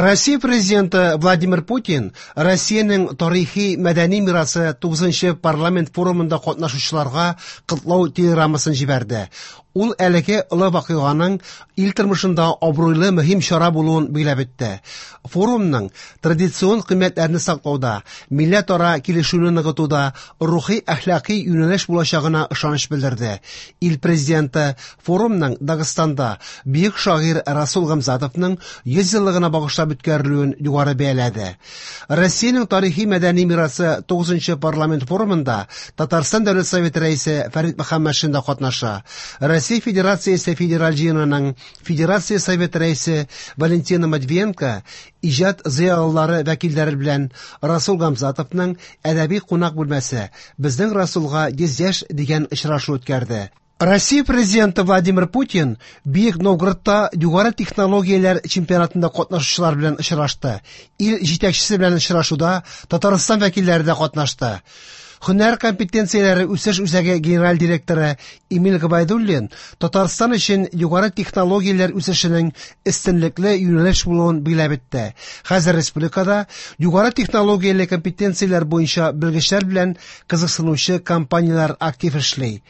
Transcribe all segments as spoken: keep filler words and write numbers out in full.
Россия президенты Владимир Путин Россиянең тарихи мәдәни мирасы тугызынчы парламент форумында катнашучыларга котлау телеграммасын җибәрде. Ул әлеге олы вакыйганың ил тормышында абруйлы мөһим чара булуын билгеләп үтте. Форумның традицион кыйммәтләрне саклауда, милләтара килешүне ныгытуда рухи әхлакый юнәлеш булачагына ышаныч белдерде. Ил президенты форумның Дагыстанда бөек шагыйрь Расул Гамзатовның йөз еллыгына багышлап үткәрелүен югары бәяләде. Россиянең тарихи мәдәни мирасы тугызынчы парламент форумында Татарстан Дәүләт Советы рәисе Фәрит Мөхәммәтшин дә катнаша. Россия Федерациясе Федераль җыенының Федерация Советы рәисе Валентина Матвиенко иҗат зыялылары вәкилләре белән Расул Гамзатовның әдәби кунак бүлмәсе «Безнең Расулга йөз яшь» дигән очрашу үткәрде. Россия президенты Владимир Путин Бөек Новгородта югары технологияләр чемпионатында катнашучылар белән очрашты. Ил җитәкчесе белән очрашуда Татарстан вәкилләре дә катнашты. Һөнәр компетенцияләре үсеш үзәге генераль директоры Эмиль Габайдуллин Татарстан өчен югары технологияләр үсешенең өстенлекле юнәлеш булуын билгеләп үтте. Хәзер республикада югары технологияле компетенцияләр буенча белгечләр белән кызыксынучы компанияләр актив эшли.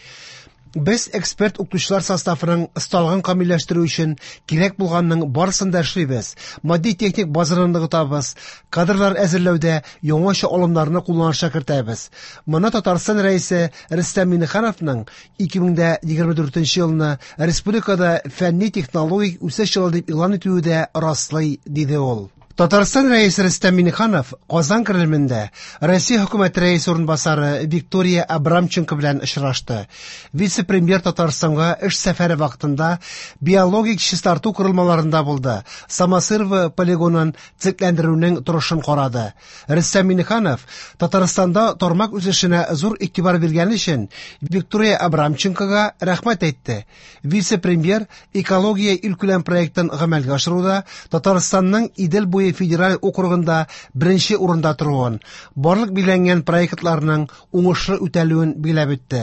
Без эксперт укытучылар составының осталыгын камилләштерү өчен кирәк булганның барысын да эшлибез. Матди-техник базаны ныгытабыз, кадрлар әзерләүдә яңача алымнарны кулланышка кертәбез. Моны Татарстан рәисе Рөстәм Миңнехановның ике мең егерме дүртенче елны республикада фәнни-технологик үсеш елы дип игълан итүе дә раслый, диде ул. Татарстан рәисе Рөстәм Миңнеханов Казан Кремлендә Россия хөкүмәте рәисе урынбасары Виктория Абрамченко белән очрашты. Вице-премьер Татарстанга эш сәфәре вакытында биологик чистарту корылмаларында булды. Самосырово полигонын цикләндерүнең торышын карады. Рөстәм Миңнеханов Татарстанда тармак үсешенә зур игътибар биргән өчен Виктория Абрамченкога рәхмәт әйтте. Вице-премьер экология илкүләм проектын гамәлгә ашыруда Татарстанның Идел буе федераль округында беренче урында торуын, барлык билгеләнгән проектларның уңышлы үтәлүен билгеләп үтте.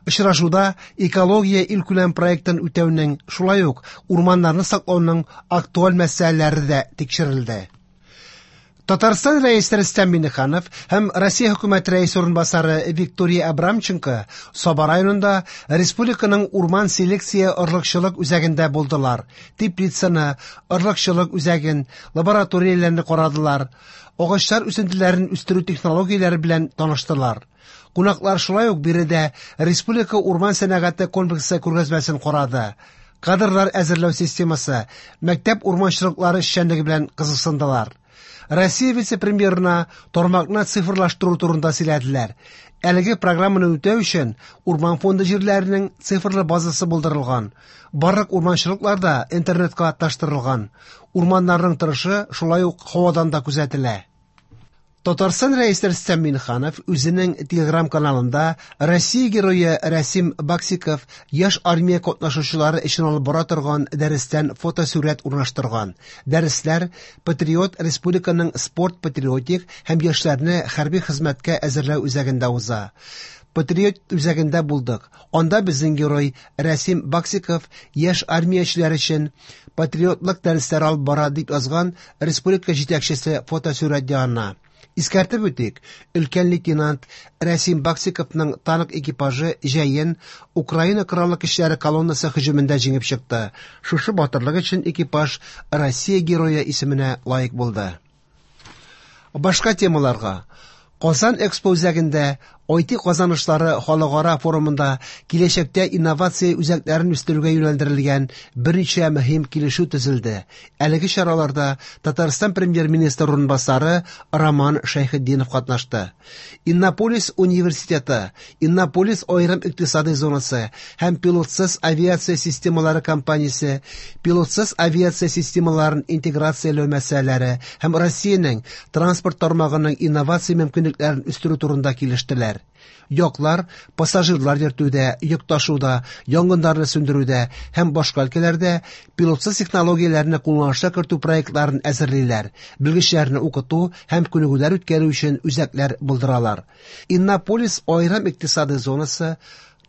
Очрашуда экология илкүләм проектын үтәүнең, шулай ук урманнарны саклауның актуаль мәсьәләләре дә тикшерелде. Татарстан рәисе Рөстәм Миңнеханов һәм Россия хөкүмәте рәисе урынбасары Виктория Абрамченко Саба районында республиканың урман селекция орлыкчылык үзәгендә булдылар. Теплицаны, орлыкчылык үзәген, лабораторияләрне карадылар. Агачлар үсентеләрен үстерү технологияләре белән таныштылар. Кунаклар шулай ук биредә республика урман сәнәгате комплексы күргәзмәсен карады. Кадрлар әзерләү системасы, мәктәп урманчылыклары эшчәнлеге белән кызыксындылар. Россия вице-премьерына тармакны цифрлаштыру турында сөйләделәр. Әлеге программаны үтәү өчен урман фонды җирләренең цифрлы базасы булдырылган. Барлык урманчылыклар да интернетка таштырылган. Урманнарның торышы шулай ук һавадан да күзәтелә. Татарстан рәисе Рөстәм Миңнеханов үзенең Телеграм каналында Россия герое Рәсим Баксиков яшь армия катнашучылары өчен алып бара торган дәрестән фотосурәт урнаштырган. Дәресләр Патриот республиканың спорт патриотик һәм яшьләрне хәрби хезмәткә әзерләү үзәгендә уза. Патриот үзәгендә булдык. Анда безнең герой Рәсим Баксиков яшь армиячеләр өчен патриотлык дәресләре алып бара дип язган республика җитәкчесе фотосурәт янына. Искәртеп үтик, өлкән лейтенант Рәсим Баксиковның танк экипажы җәен Украина Кораллы көчләре колоннасы һөҗүмендә җиңеп чыкты. Шушы батырлык өчен экипаж Россия герое исеменә лаек булды. Башка темаларга. Казан Экспо үзәгендә ай ти казанышлары халыкара форумында киләчәктә инновация үзәкләрен үстерүгә юнәлдерелгән берничә мөһим килешү төзелде. Әлеге чараларда Татарстан премьер-министры урынбасары Роман Шәйхетдинов катнашты. Иннополис университеты, Иннополис аерым икътисади зонасы һәм пилотсыз авиация системалары компаниясе пилотсыз авиация системаларын интеграцияләү мәсьәләләре һәм Россиянең транспорт тармагының инновация мөмкинлекләрен үстерү турында килештеләр. Яклар пассажирлар йөртүдә, йөк ташуда, янгыннарны сүндерүдә һәм башка өлкәләрдә пилотсыз технологияләрне кулланышка кертү проектларын әзерлиләр, белгечләрне укыту һәм күнегүләр үткәрү өчен үзәкләр булдыралар. Иннополис аерым икътисади зонасы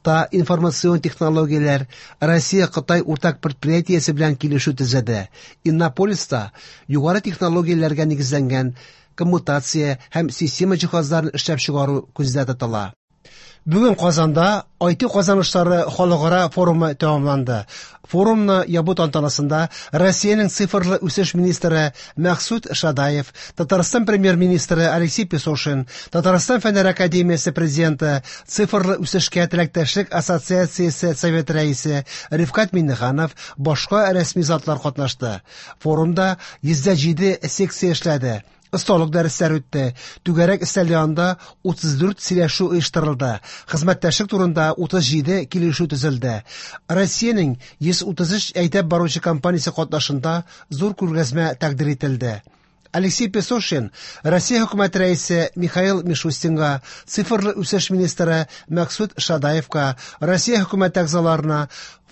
Та информацион технологияләр Россия-Кытай уртак предприятиесе белән килешү төзеде. Иннополиста югары технологияләргә нигезләнгән коммутация һәм система җиһазларын эшләп чыгару күздә тотыла. Бүген Казанда ай ти казанышлары халыкара форумы тәмамланды. Форумны ябу тантанасында Россиянең цифрлы үсеш министры Мәксут Шадаев, Татарстан премьер-министры Алексей Песошин, Татарстан Фәннәр академиясе президенты, Цифрлы үсешкә теләктәшлек ассоциациясе совет рәисе Рифкать Миңнеханов, башка рәсми затлар катнашты. Форумда йөз дә җиде секция эшләде. Осталык дәресләр үтте. Түгәрәк өстәл янында утыз дүрт сөйләшү оештырылды. Хезмәттәшлек турында утыз җиде килешү төзелде. Россиянең йөз утыз өч әйдәп баручы компаниясе катнашында зур күргәзмә тәкъдир ителде. Алексей Песошин Россия хөкүмәте рәисе Михаил Мишустинга, цифрлы үсеш министры Мәксут Шадаевка, Россия хөкүмәте әгъзаларына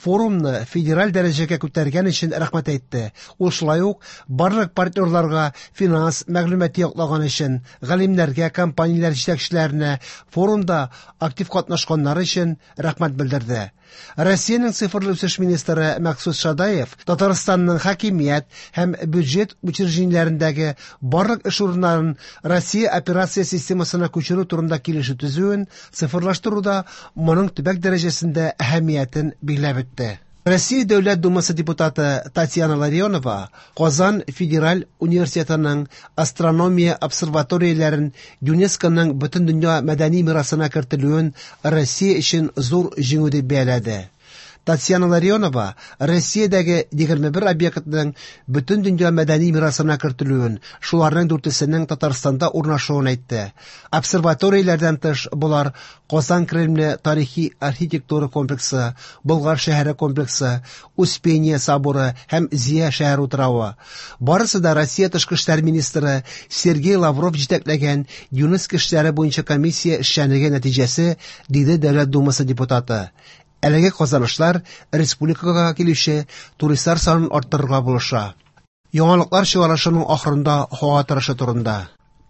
форумны федераль дәрәҗәгә күтәргән өчен рәхмәт әйтте. Ул шулай ук барлык партнерларга финанс мәгълүматы яклаган өчен, галимнәргә, компанияләр җитәкчеләренә форумда актив катнашканнары өчен рәхмәт белдерде. Россиянең цифрлы үсеш министры Мәксут Шадаев Татарстанның хакимият һәм бюджет учреждениеләрендәге барлык эш урыннарын Россия операция системасына күчерү турында килешү төзүен цифрлаштыруда моның төбәк дәрәҗәсендә әһәмиятен билгеләп үтте. Россия Дәүләт Думасы депутаты Татьяна Ларионова Казан Федераль университетының астрономия обсерваторияләрен ЮНЕСКОның бөтендөнья мәдәни мирасына кертелүен Россия өчен зур җиңү дип бәяләде. Татьяна Ларионова Россиядәге егерме бер объектның бөтендөнья мәдәни мирасына кертелүен, шуларның дүртесенең Татарстанда урнашуын әйтте. Обсерваторияләрдән тыш болар Казан Кремле тарихи архитектура комплексы, Болгар шәһәре комплексы, Успение соборы һәм Зия шәһәр утравы. Барысы да Россия тышкы эшләр министры Сергей Лавров җитәкләгән ЮНЕСКО эшләре буенча комиссия эшчәнлеге нәтиҗәсе, диде Дәүләт Думасы депутаты. Әлеге казанышлар республикага килүче туристлар санын арттырырга булыша. Яңалыклар чыгарышының ахырында һава торышы турында.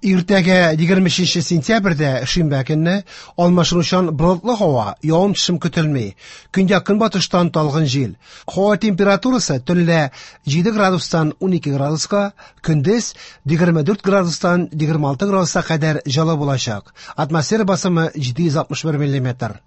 Иртәгә егерме өченче сентябрьдә шимбә көнне алмашынучан болытлы һава, явым-төшем көтелми. Көньяк-көнбатыштан талгын җил. Һава температурасы төнлә җиде градустан унике градуска, көндез егерме дүрт градустан егерме алты градуска кадәр җылы булачак. Атмосфера басымы җиде йөз алтмыш бер миллиметр.